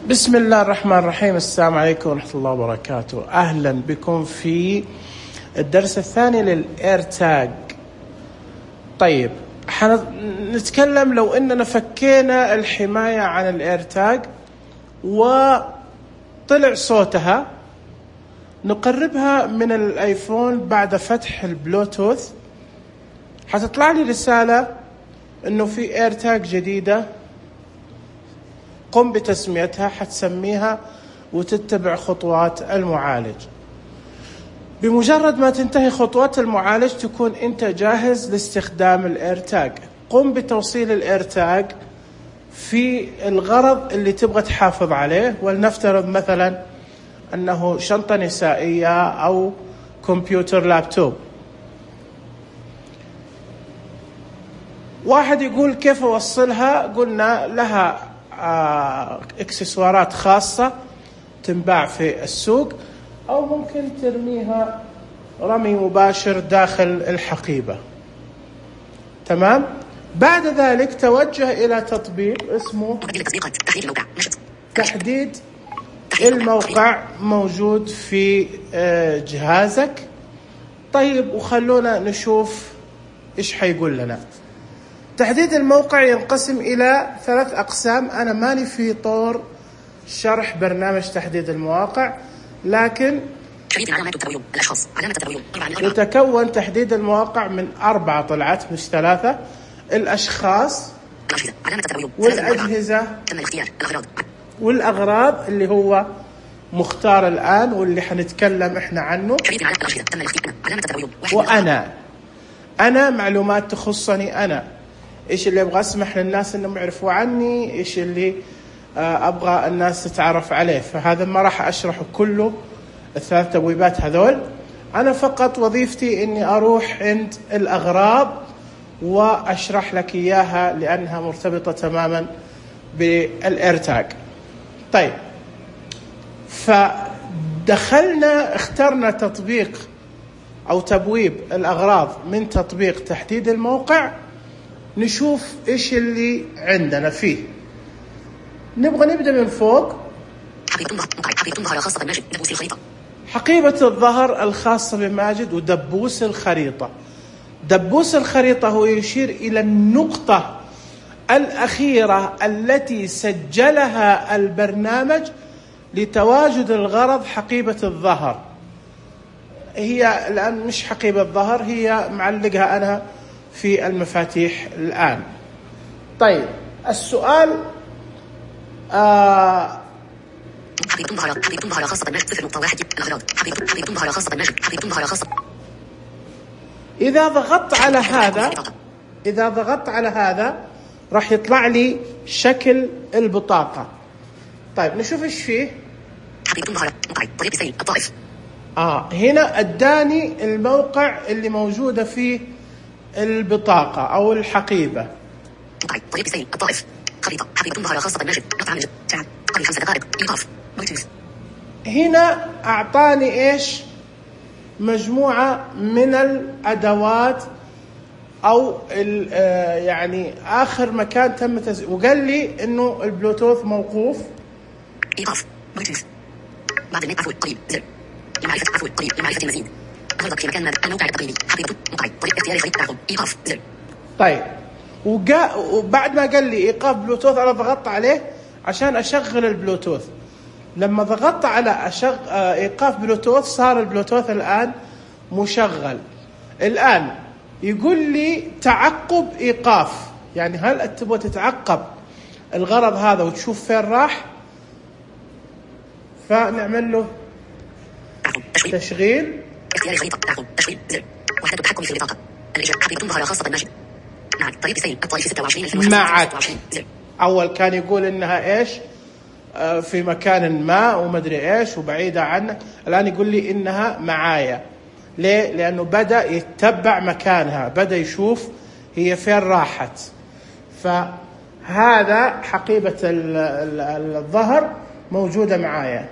بسم الله الرحمن الرحيم. السلام عليكم ورحمة الله وبركاته. أهلا بكم في الدرس الثاني للإير تاج. طيب نتكلم لو إننا فكينا الحماية عن الإير تاج وطلع صوتها، نقربها من الآيفون بعد فتح البلوتوث، حتطلع لي رسالة إنه في إير تاج جديدة، قم بتسميتها. حتسميها وتتبع خطوات المعالج. بمجرد ما تنتهي خطوات المعالج تكون انت جاهز لاستخدام الإير تاج. قم بتوصيل الإير تاج في الغرض اللي تبغى تحافظ عليه، ولنفترض مثلا أنه شنطة نسائية أو كمبيوتر لابتوب. واحد يقول كيف أوصلها؟ قلنا لها اكسسوارات خاصة تنباع في السوق، أو ممكن ترميها رمي مباشر داخل الحقيبة. تمام. بعد ذلك توجه إلى تطبيق اسمه تحديد الموقع، موجود في جهازك. طيب وخلونا نشوف إيش حيقول لنا. تحديد الموقع ينقسم إلى 3 أقسام. أنا ماني في طور شرح برنامج تحديد المواقع، لكن يتكون تحديد المواقع من 4 طلعات مش 3: الأشخاص والأجهزة والأغراض اللي هو مختار الآن واللي حنتكلم إحنا عنه، وأنا معلومات تخصني أنا، إيش اللي أبغى أسمح للناس إنهم يعرفوا عني، إيش اللي أبغى الناس تتعرف عليه. فهذا ما راح أشرحه كله، ال3 تبويبات هذول. أنا فقط وظيفتي إني أروح عند الأغراض وأشرح لك إياها، لأنها مرتبطة تماما بالإير تاج. طيب، فدخلنا اخترنا تطبيق أو تبويب الأغراض من تطبيق تحديد الموقع. نشوف إيش اللي عندنا فيه. نبغى نبدأ من فوق. حقيبة الظهر الخاصة بماجد ودبوس الخريطة. دبوس الخريطة هو يشير إلى النقطة الأخيرة التي سجلها البرنامج لتواجد الغرض حقيبة الظهر. هي الآن مش حقيبة الظهر، هي معلقها أنا في المفاتيح الآن. طيب السؤال حقيبة ظهر خاصة بالماجد 0.1 الأغراض. حقيبة ظهر خاصة بالماجد. حقيبة ظهر خاصة. إذا ضغطت على هذا راح يطلع لي شكل البطاقة. طيب نشوف إيش فيه. حقيبة ظهر طريق سيل الطائف. هنا أداني الموقع اللي موجودة فيه البطاقة أو الحقيبة. طريق سيل الطائف. خريطة. حقيبة ظهر خاصة بالماجد. ساعة قبل 5 دقائق. إيقاف. بلوتوث. هنا أعطاني إيش؟ مجموعة من الأدوات أو يعني آخر مكان تم وقال لي إنه البلوتوث موقوف. إيقاف. بلوتوث. بعد النت عفوا قريب. زر. لمعرفة عفوا قريب لمعرفة المزيد. أغلق في مكان ما الموقع التقليدي. حقيبة موقع طريق اختيار خريطة تعقب. إيقاف. زر. طيب وبعد ما قال لي إيقاف بلوتوث أنا ضغطت عليه عشان أشغل البلوتوث. لما ضغطت على إيقاف بلوتوث صار البلوتوث الآن مشغل. الآن يقول لي تعقب إيقاف، يعني هل تبغى تتعقب الغرض هذا وتشوف فين راح؟ فنعمل له تشغيل. اختيار خريطة تعقب. تشغيل. زر. وحدة التحكم في البطاقة. الإجابة. حقيبة ظهر خاصة بالماجد. معك طريق سيل الطائف 26 معك. أول كان يقول إنها إيش في مكان ما ومدري إيش وبعيدة عنه، الآن يقول لي إنها معايا. ليه؟ لأنه بدأ يتبع مكانها، بدأ يشوف هي فين راحت. فهذا حقيبة الظهر موجودة معايا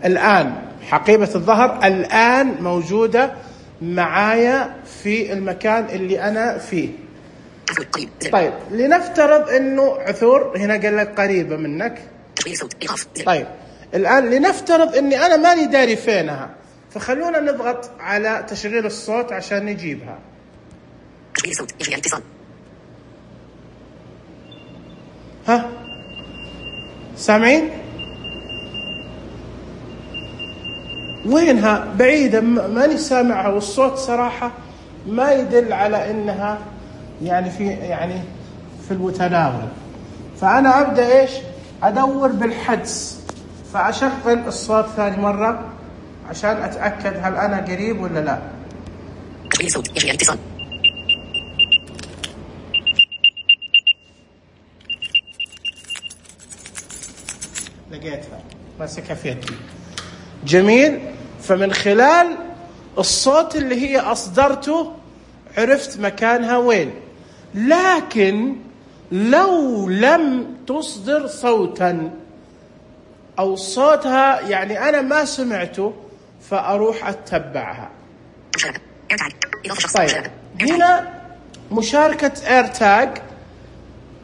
الآن. حقيبة الظهر الآن موجودة معايا في المكان اللي أنا فيه. عفو قريب زر. طيب لنفترض انه عثور، هنا قال لك قريبة منك. تشغيل صوت إيقاف زر. طيب الآن لنفترض اني انا ماني داري فينها، فخلونا نضغط على تشغيل الصوت عشان نجيبها. تشغيل صوت يجري الاتصال. ها سامعين؟ وينها؟ بعيدة، ماني سامعها، والصوت صراحة ما يدل على انها يعني في المتناول. فانا ابدا ايش؟ ادور بالحدس، فاشغل الصوت ثاني مرة عشان اتاكد هل انا قريب ولا لا. تشغيل صوت يجري الاتصال. لقيتها ماسكها في يدي. جميل. فمن خلال الصوت اللي هي أصدرته عرفت مكانها وين. لكن لو لم تصدر صوتا أو صوتها يعني أنا ما سمعته، فأروح أتبعها. طيب هنا مشاركة ايرتاج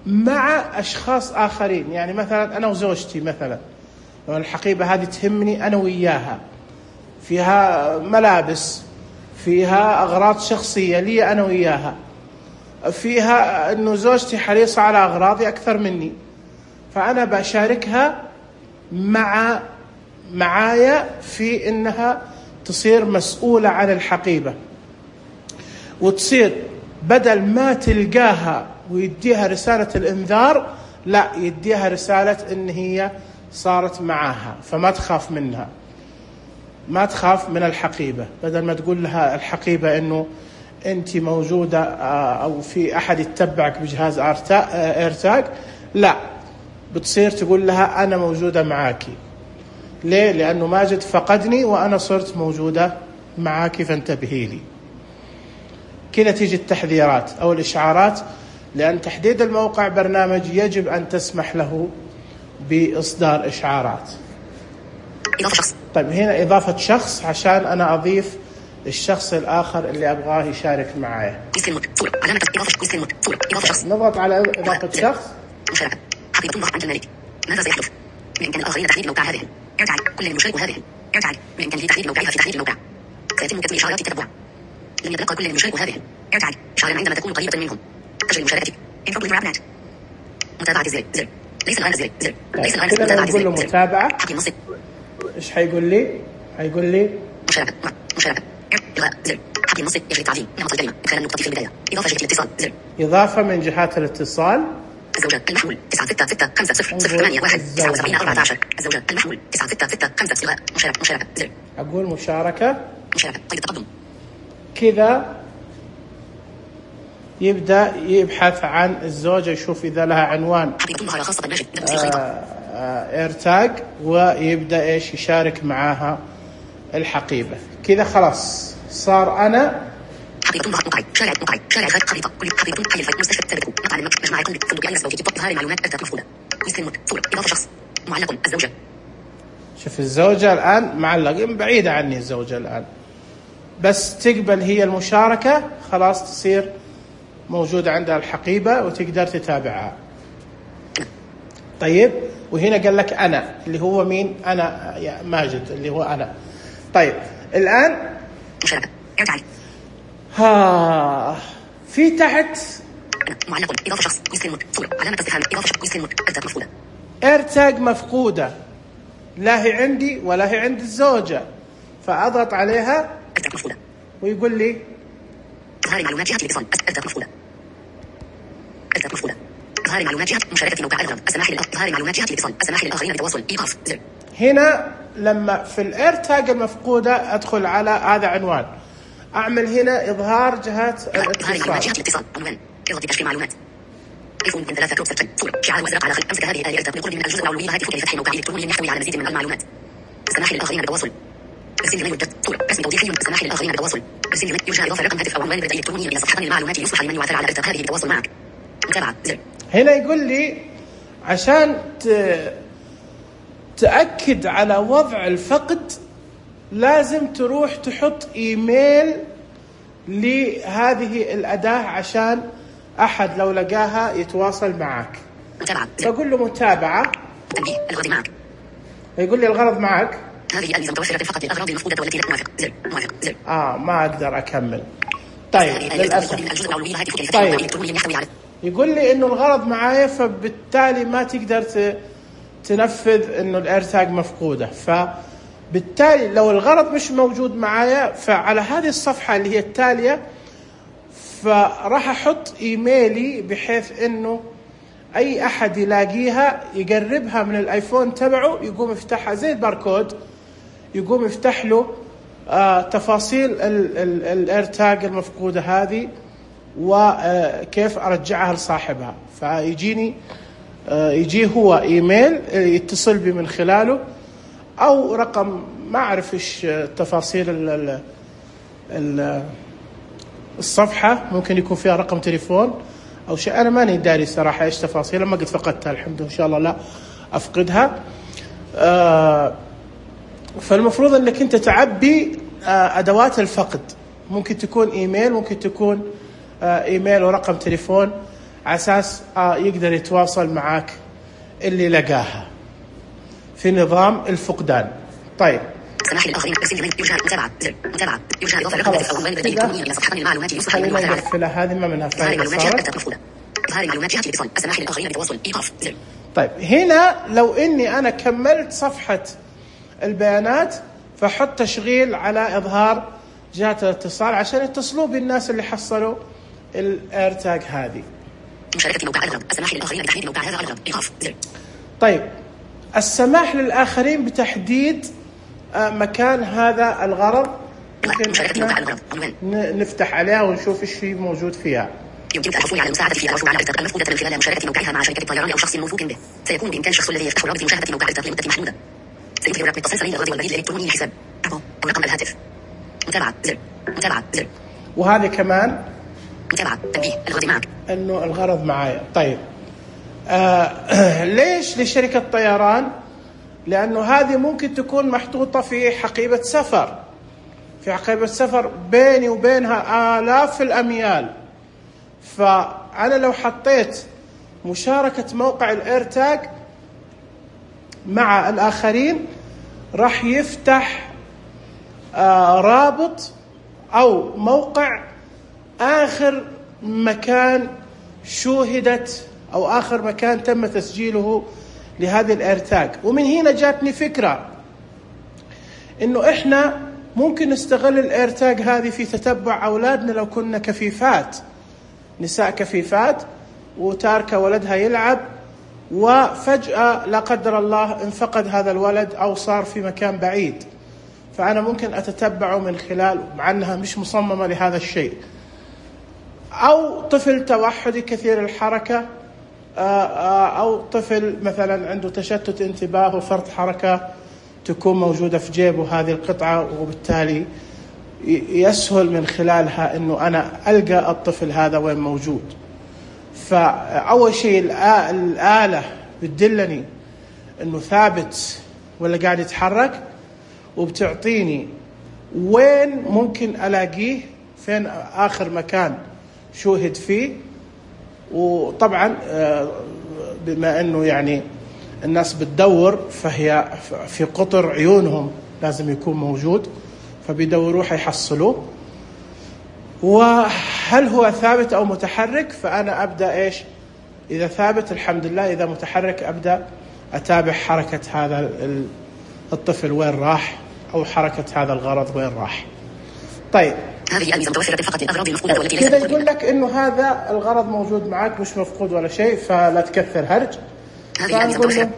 مع أشخاص آخرين، يعني مثلا أنا وزوجتي، مثلا لو الحقيبة هذه تهمني أنا وياها، فيها ملابس، فيها أغراض شخصية لي أنا وياها، فيها أنه زوجتي حريصة على أغراضي أكثر مني، فأنا بشاركها معايا في أنها تصير مسؤولة عن الحقيبة، وتصير بدل ما تلقاها ويديها رسالة الإنذار، لا يديها رسالة إن هي صارت معاها، فما تخاف منها، ما تخاف من الحقيبة. بدل ما تقول لها الحقيبة إنه أنت موجودة أو في أحد يتبعك بجهاز ايرتاج، لا بتصير تقول لها أنا موجودة معاكي. ليه؟ لأنه ماجد فقدني وأنا صرت موجودة معاكي فانتبهي لي. كذا تيجي التحذيرات أو الإشعارات، لأن تحديد الموقع برنامج يجب أن تسمح له بإصدار إشعارات. إضافة شخص. طيب هنا إضافة شخص عشان أنا أضيف الشخص الآخر اللي أبغاه يشارك معايا. علامة إضافة شخص. نضغط على إضافة شخص. مشاركة. حقيبة ضغط عند المالك. ماذا سيحدث؟ بإمكان الآخرين تحديد موقع هذه. ارجع كل المشارك هذه. ارجع بإمكانه تحديد موقعها في تحديد الموقع. سيتم كتب إشعارات التتبع. لن يتلقى كل المشارك هذه. ارجع إشعارا عندما تكون قريبة منهم. تسجيل مشاركتك. متابعة زر. ليس الآن زر. ليس الآن متابعة زر. متابعة. حقي النص. إيش حيقول لي؟ حيقول لي مشاركة. إلغاء زر. حقي النص يجري التعديل. نمط الكلمة. إدخال النقطة في البداية. إضافة جهة الاتصال زر. إضافة من جهات الاتصال. الزوجة المحمول 966500814. الزوجة المحمول 96650. إلغاء مشاركة زر. أقول مشاركة. قيد التقدم. كذا يبدأ يبحث عن الزوجة، يشوف إذا لها عنوان ايرتاج، ويبدأ إيش يشارك معاها الحقيبة. كذا خلاص صار أنا حقيبة مقعد شارع خارج خريطة كل حقيبة حي الفيت مستشفى ثابت مطعم مجمع فندق أي زوجي تظهر معلومات أرتاج مفقودة. مسلم صورة إضافة شخص معلق الزوجة. شوف الزوجة الآن معلق، بعيدة عني الزوجة الآن، بس تقبل هي المشاركة خلاص تصير موجودة عندها الحقيبة وتقدر تتابعها. طيب وهنا قال لك أنا اللي هو مين؟ أنا يا ماجد اللي هو أنا. طيب الآن مشاركة ارجع في تحت معلق إضافة شخص مسلم صورة علامة استفهام إضافة شخص مسلم أرتاج مفقودة. ايرتاج مفقودة، لا هي عندي ولا هي عند الزوجة، فأضغط عليها أرتاج مفقودة ويقول لي إظهار معلومات جهة الاتصال أرتاج مفقودة. إظهار معلومات جهة مشاركة موقع الأغراض السماح إظهار معلومات جهة الاتصال السماح للآخرين بالتواصل إيقاف زر. هنا لما في الايرتاج المفقودة أدخل على هذا عنوان، أعمل هنا إظهار جهات الاتصال. إظهار معلومات جهة الاتصال عنوان إضافة تشفي معلومات. ايفون من 3 كروت صورة شعار وازرق على خلف. امسك هذه الآلية من قرب من الجزء العلوي هاتفك لفتح موقع إلكتروني يحتوي على مزيد من المعلومات. السماح للآخرين بالتواصل. ارسل لمن يوجد صورة رسم توضيحي. السماح للآخرين بالتواصل. ارسل لمن يرجى إضافة رقم هاتف أو عنوان بريد إلكتروني إلى صفحة المعلومات ليصبح لمن يعثر على ارتباط هذه بالتواصل معك. متابعة زر. هنا يقول لي عشان تأكد على وضع الفقد لازم تروح تحط إيميل لهذه الأداة عشان أحد لو لقاها يتواصل معك. متابعة. بقول له متابعة. تنبيه الغرض معك. يقول لي الغرض معك. هذه الميزة متوفرة فقط للأغراض المفقودة والتي لا موافق. زر موافق. زر. ما أقدر أكمل. طيب للأسف. طيب يقول لي إنه الغرض معايا، فبالتالي ما تقدر تنفذ إنه الإيرتاج مفقودة. فبالتالي لو الغرض مش موجود معايا، فعلى هذه الصفحة اللي هي التالية فراح أحط إيميلي بحيث إنه أي أحد يلاقيها يقربها من الآيفون تبعه يقوم يفتحها زي الباركود، يقوم يفتح له تفاصيل الإيرتاج المفقودة هذه وكيف أرجعها لصاحبها. فيجيني يجي هو إيميل يتصل بي من خلاله، أو رقم ما أعرف إيش تفاصيل الصفحة، ممكن يكون فيها رقم تليفون أو شيء، أنا ماني داري صراحة إيش تفاصيلها، ما قد فقدتها الحمد لله، إن شاء الله لا أفقدها. فالمفروض أنك أنت تعبي أدوات الفقد، ممكن تكون إيميل، ممكن تكون إيميل ورقم تليفون، على أساس يقدر يتواصل معك اللي لقاها في نظام الفقدان. طيب سماح للآخرين ارسل لمن يرجى متابعة. زر متابعة يرجى إضافة الرقم أو عنوان البريد الإلكتروني إلى صفحة المعلومات يصبح نقفلها، هذه ما منها فائدة. إظهار المعلومات جهة الاتصال. السماح للآخرين بالتواصل. إيقاف. زر. طيب هنا لو إني أنا كملت صفحة البيانات فحط تشغيل على إظهار جهة الاتصال عشان يتصلوا بالناس اللي حصلوا الإيرتاج هذه. مشاركة موقع الغرض. السماح للآخرين بتحديد موقع هذا الغرض. إيقاف. زر. طيب السماح للآخرين بتحديد مكان هذا الغرض، نفتح عليها ونشوف ايش في موجود فيها. يمكنك الحصول على المساعدة في الحصول على الإرتاق المفقودة من خلال مشاركة موقعها مع شركة الطيران أو شخص موثوق به. سيكون بإمكان الشخص الذي يفتح رابط مشاهدة موقع الإرتاق لمدة محدودة. سيظهر رقم اتصال سريع للغرض والبريد الإلكتروني للحساب أو رقم الهاتف. متابعة. زر متابعة. زر. وهذه كمان متابعة. تنبيه الغرض معك. إنه الغرض معايا. طيب ليش لشركة طيران؟ لأنه هذه ممكن تكون محطوطة في حقيبة سفر، في حقيبة سفر بيني وبينها آلاف الأميال. فأنا لو حطيت مشاركة موقع الإيرتاج مع الآخرين راح يفتح رابط أو موقع آخر مكان شوهدت أو آخر مكان تم تسجيله لهذه الإيرتاج. ومن هنا جاتني فكرة إنه إحنا ممكن نستغل الإيرتاج هذه في تتبع أولادنا. لو كنا كفيفات، نساء كفيفات وتاركة ولدها يلعب وفجأة لا قدر الله انفقد هذا الولد أو صار في مكان بعيد، فأنا ممكن أتتبعه من خلال، مع أنها مش مصممة لهذا الشيء. أو طفل توحدي كثير الحركة، أو طفل مثلا عنده تشتت انتباه وفرط حركة تكون موجودة في جيبه هذه القطعة، وبالتالي يسهل من خلالها أنه أنا ألقى الطفل هذا وين موجود. فأول شيء الآلة بتدلني أنه ثابت ولا قاعد يتحرك، وبتعطيني وين ممكن ألاقيه، فين آخر مكان شوهد فيه. وطبعا بما أنه يعني الناس بتدور، فهي في قطر عيونهم لازم يكون موجود، فبيدوروه حيحصلوه. وهل هو ثابت أو متحرك؟ فأنا أبدأ إيش؟ إذا ثابت الحمد لله، إذا متحرك أبدأ أتابع حركة هذا الطفل وين راح، أو حركة هذا الغرض وين راح. طيب هذه الميزة متوفرة فقط للأغراض المفقودة والتي كذا يقول لك إنه هذا الغرض موجود معك مش مفقود ولا شيء، فلا تكثر هرج. فنقول له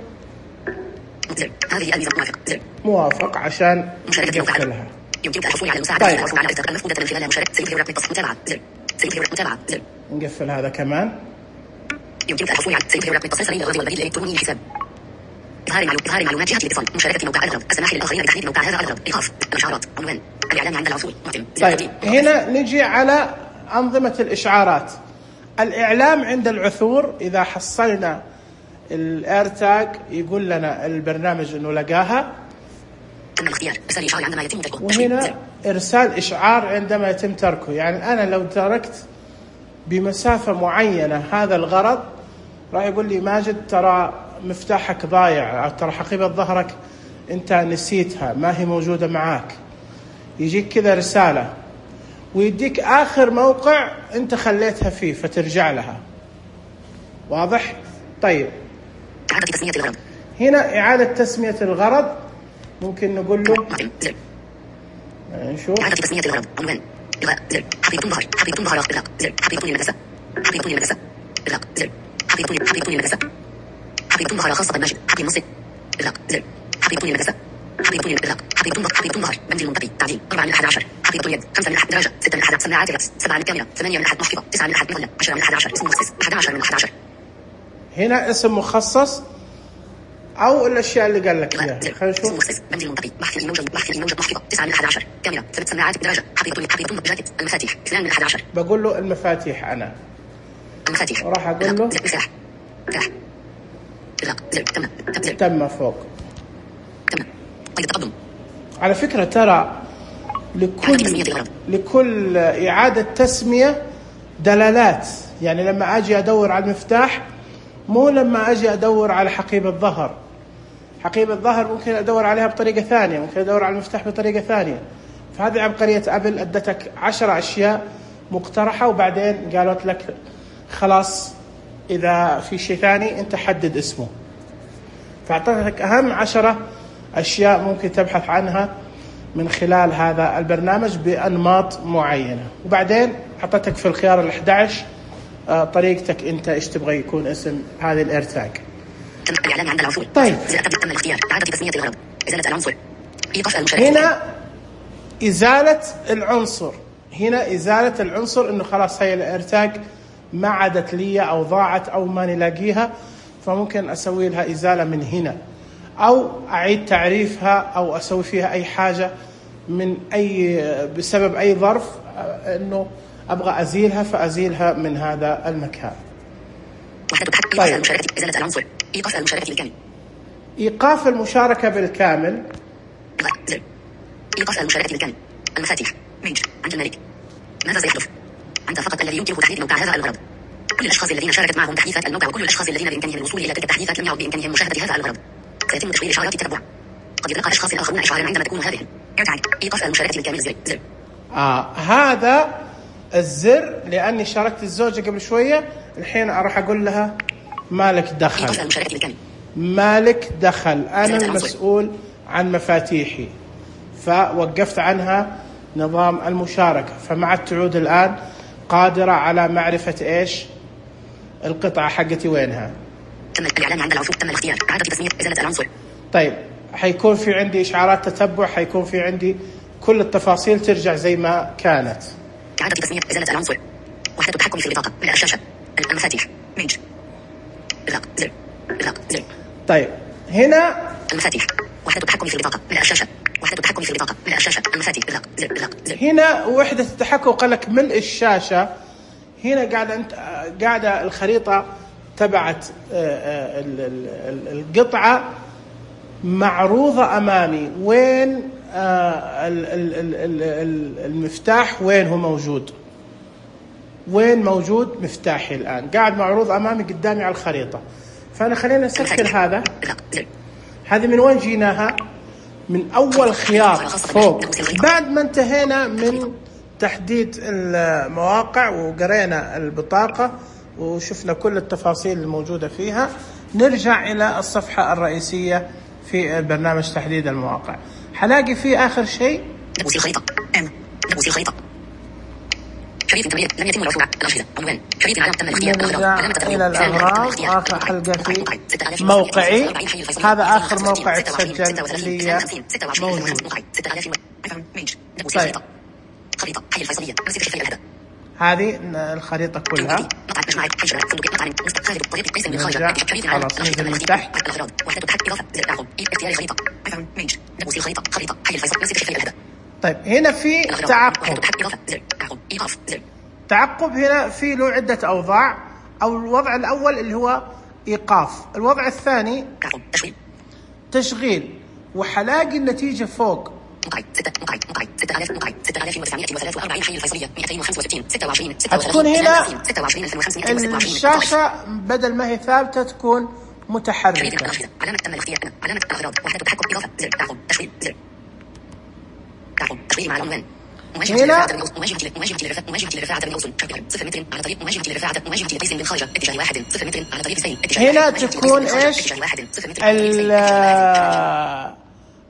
هذه الميزة موافق عشان نقفلها. يمكنك الحصول على المساعدة في الحصول على الإرتاق المفقودة من خلال مشاركة. سيظهر رقم اتصال. متابعة. زر. سيظهر متابعة. زر. نقفل هذا كمان. يمكنك الحصول على سيظهر رقم اتصال سريع للغرض والبريد الإلكتروني للحساب. إظهار معلومات جهة الاتصال. مشاركة موقع الغرض. السماح للآخرين بتحديد موقع هذا الغرض. إيقاف. الإشعارات. عنوان الإعلان عند الوصول. طيب هنا نجي على أنظمة الإشعارات. الإعلام عند العثور، إذا حصلنا الإيرتاج يقول لنا البرنامج إنه لقاها. الاختيار إرسال إشعار عندما يتم تركه. وهنا إرسال إشعار عندما يتم تركه. يعني أنا لو تركت بمسافة معينة هذا الغرض، راح يقول لي ماجد ترى مفتاحك ضايع، ترى حقيبة ظهرك أنت نسيتها ما هي موجودة معاك. يجيك كذا رسالة ويديك آخر موقع أنت خليتها فيه فترجع لها. واضح؟ طيب إعادة تسمية الغرض. هنا إعادة تسمية الغرض ممكن نقول له نشوف. إعادة تسمية الغرض. عنوان إلغاء زر. حقيبة ظهر. حقيبة ظهر إغلاق زر. حقيبة المدرسة. حقيبة المدرسة إغلاق زر. حقيبة المدرسة. حقيبة ظهر خاصة بماجد. حقيبة منصب إغلاق زر. حقيبة المدرسة. حقيبة إغلاق. حقيبة ظهر. منزل منطقي. تعديل 4 من 11. حقيبة اليد 5 من 1 درجة. 6 من 1 سماعات الرأس. 7 من الكاميرا. 8 من 1 محفظة. 9 من 1 مهلة. 10 من 11 اسم مخصص. 11 من 11. هنا اسم مخصص أو الأشياء اللي قال لك إياها. خلينا نشوف. منزل منطقي. محفظة محفظة. 9 من 11. كاميرا. 8 سماعات بدرجة. حقيبة جاكيت. المفاتيح 2 من 11. بقول له المفاتيح أنا. المفاتيح. وراح أقول له مفتاح. زر. تم فوق. تم. قيد التقدم. على فكرة ترى لكل إعادة تسمية دلالات. يعني لما أجي أدور على المفتاح مو لما أجي أدور على حقيبة الظهر. حقيبة الظهر ممكن أدور عليها بطريقة ثانية، ممكن أدور على المفتاح بطريقة ثانية. فهذه عبقرية أبل، أدتك 10 أشياء مقترحة وبعدين قالت لك خلاص إذا في شيء ثاني أنت حدد اسمه. فأعطتك أهم 10 أشياء ممكن تبحث عنها من خلال هذا البرنامج بأنماط معينة، وبعدين حطتك في الخيار 11 طريقتك أنت إيش تبغى يكون اسم هذه الإيرتاج. تم الإعلان عند العثور. طيب تم الاختيار. إعادة تسمية الغرض. إزالة العنصر. إيقاف المشاركة. هنا إزالة العنصر. هنا إزالة العنصر إنه خلاص هي الإيرتاج ما عادت لي أو ضاعت أو ما نلاقيها، فممكن أسوي لها إزالة من هنا، أو أعيد تعريفها، أو أسوي فيها أي حاجة من بسبب أي ظرف إنه أبغى أزيلها فأزيلها من هذا المكان. إيقاف المشاركة. إزالة العنصر. إيقاف المشاركة بالكامل. إيقاف المشاركة بالكامل. زر. إيقاف المشاركة بالكامل. المفاتيح. ميج. عند الملك. ماذا سيحدث؟ أنت فقط الذي يمكنه تحديد موقع هذا الغرض. كل الأشخاص الذين شاركت معهم تحديثات الموقع وكل الأشخاص الذين بإمكانهم الوصول إلى تلك التحديثات لم يعد بإمكانهم مشاهدة هذا الغرض. سيتم تشغيل إشعارات التتبع. قد يتلقى أشخاص آخرون إشعارا عندما تكون هذه. إيقاف المشاركة بالكامل. زر. هذا الزر لأني شاركت الزوجة قبل شوية، الحين أروح أقول لها مالك دخل. إيقاف المشاركة بالكامل. مالك دخل، أنا المسؤول عن مفاتيحي، فوقفت عنها نظام المشاركة، فمع التعود الآن قادرة على معرفة إيش القطعة حقتي وينها. تم الإعلان عند العثور. تم الاختيار. إعادة تسمية. إزالة العنصر. طيب حيكون في عندي إشعارات تتبع، حيكون في عندي كل التفاصيل ترجع زي ما كانت. إعادة تسمية. إزالة العنصر. وحدة التحكم في البطاقة. من الشاشة. المفاتيح. ميج. إغلاق زر. إغلاق زر. طيب هنا المفاتيح. وحدة التحكم في البطاقة. من الشاشة. وحدة التحكم في البطاقة. من الشاشة. المفاتيح. إغلاق زر. إغلاق زر. هنا وحدة التحكم قالك ملء الشاشة. هنا قاعدة الخريطة تبعت القطعة معروضة أمامي، وين المفتاح وين هو موجود، وين موجود مفتاحي الآن قاعد معروض أمامي قدامي على الخريطة. فأنا خلينا نسكر هذا. هذه من وين جيناها؟ من أول خيار فوق بعد ما انتهينا من تحديد المواقع وقرينا البطاقة وشفنا كل التفاصيل الموجودة فيها. نرجع إلى الصفحة الرئيسية في برنامج تحديد المواقع. حلاقي فيه آخر شيء نبوس الخريطة. نبوس الخريطة. شريط تمرير لم يتم العثور على الأشرطة. عنوان شريط العلم تم الاختيار. إلى الأغراض. آخر حلقة في موقعي. هذا آخر موقع تسجل لي موجود. طيب. خريطة حي الفيصلية. أمسك شفاء الهدى. هذه الخريطة كلها. خلاص ننزل من تحت. طيب هنا في تعقب هنا في له عدة أوضاع. أو الوضع الأول اللي هو إيقاف، الوضع الثاني تشغيل، وحلاقي النتيجة فوق 6000 موقع 6943 حي الفيصلية 265 26 هتكون هنا 26 الشاشة بدل ما هي ثابتة تكون متحركة. علامة تم الاختيار علامة الأغراض وحدة التحكم إضافة زر تعقب تشغيل زر تعقب تشغيل مع العنوان هنا مواجهة للرفاعة بالأوصل 0 متر على طريق مواجهة لقيس بالخارجة اتجاه 1 0 متر على طريق زين هنا تكون ايش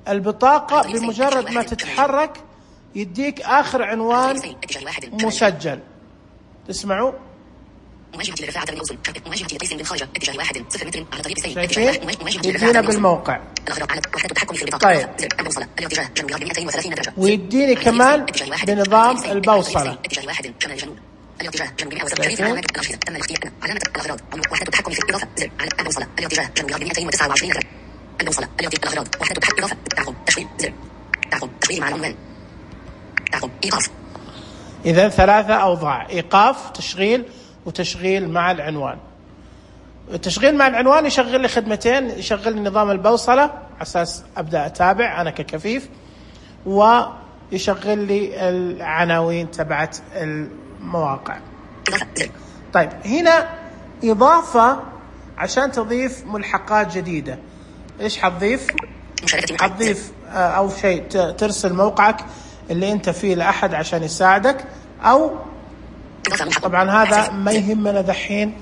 البطاقة بمجرد ما تتحرك يديك آخر عنوان مسجل. تسمعوا مواجهة للرفاعة بالأوصل مواجهة لقيس بالخارجة اتجاه 1 0 متر على طريق زين شايفين يدينا بالموقع. طيب ويديني كمان بنظام البوصلة. الاتجاه جنوب 170 تم الاختيار علامة الأغراض وحدة التحكم في الإضافة زر على البوصلة الاتجاه جنوب 229 درجة البوصلة الأغراض وحدة التحكم إضافة تعقب تشغيل زر تعقب تشغيل مع العنوان تعقب إيقاف. إذا 3 أوضاع: إيقاف، تشغيل، وتشغيل مع العنوان. التشغيل مع العنوان يشغل لي خدمتين، يشغل لي نظام البوصلة على أساس أبدأ أتابع أنا ككفيف، ويشغل لي العناوين تبعت المواقع. طيب هنا إضافة عشان تضيف ملحقات جديدة. إيش حتضيف؟ حتضيف أو شيء ترسل موقعك اللي أنت فيه لأحد عشان يساعدك، أو طبعا هذا ما يهمنا دحين،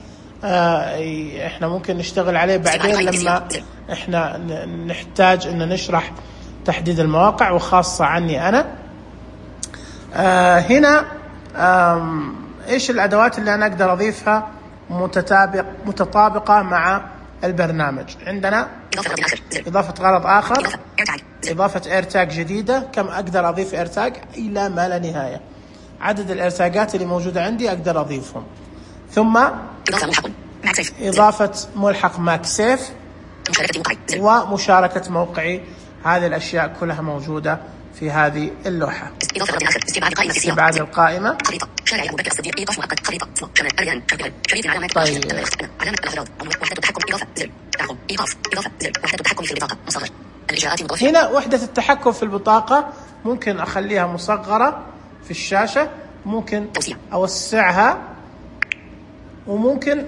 احنا ممكن نشتغل عليه بعدين لما احنا نحتاج ان نشرح تحديد المواقع، وخاصة عني انا. هنا ايش الادوات اللي انا اقدر اضيفها متطابقة مع البرنامج؟ عندنا اضافة غرض اخر، اضافة ايرتاج جديدة. كم اقدر اضيف ايرتاج؟ الى ما لا نهاية. عدد الارتاجات اللي موجودة عندي اقدر اضيفهم. ثم إضافة ملحق ماكسيف ومشاركة موقعي. هذه الأشياء كلها موجودة في هذه اللوحة. استبعاد القائمة. هنا وحدة التحكم في البطاقة ممكن أخليها مصغرة في الشاشة، ممكن أوسعها، وممكن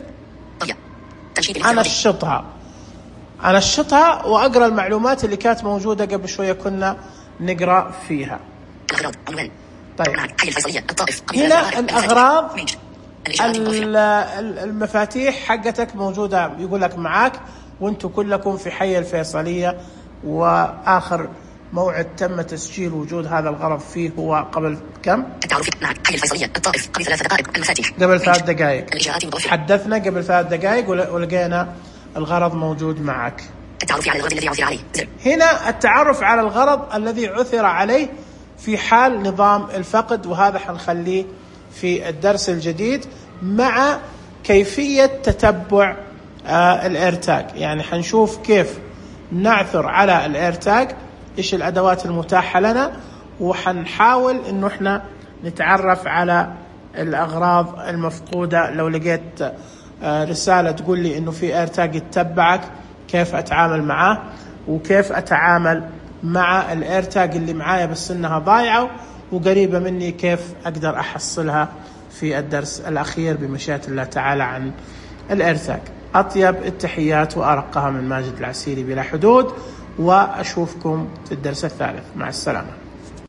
أنشطها وأقرأ المعلومات اللي كانت موجودة قبل شوية كنا نقرأ فيها. طيب هنا الأغراض، المفاتيح حقتك موجودة، يقول لك معاك وانتم كلكم في حي الفيصلية، وآخر موعد تم تسجيل وجود هذا الغرض فيه هو قبل كم؟ التعرف مع حي الفيصلية الطائف قبل 3 دقائق. المفاتيح قبل 3 دقائق. حدثنا قبل 3 دقائق ولقينا الغرض موجود معك. التعرف على الغرض الذي عثر عليه. هنا التعرف على الغرض الذي عثر عليه في حال نظام الفقد، وهذا حنخليه في الدرس الجديد مع كيفية تتبع الإيرتاج. يعني حنشوف كيف نعثر على الإيرتاج، إيش الأدوات المتاحة لنا، وحنحاول إنه إحنا نتعرف على الأغراض المفقودة. لو لقيت رسالة تقول لي إنه في إيرتاج يتبعك، كيف أتعامل معه، وكيف أتعامل مع الإيرتاج اللي معايا بس إنها ضايعة وقريبة مني، كيف أقدر أحصلها في الدرس الأخير بمشيئة الله تعالى عن الإيرتاج. أطيب التحيات وأرقها من ماجد العسيري بلا حدود، وأشوفكم في الدرس الثالث. مع السلامة.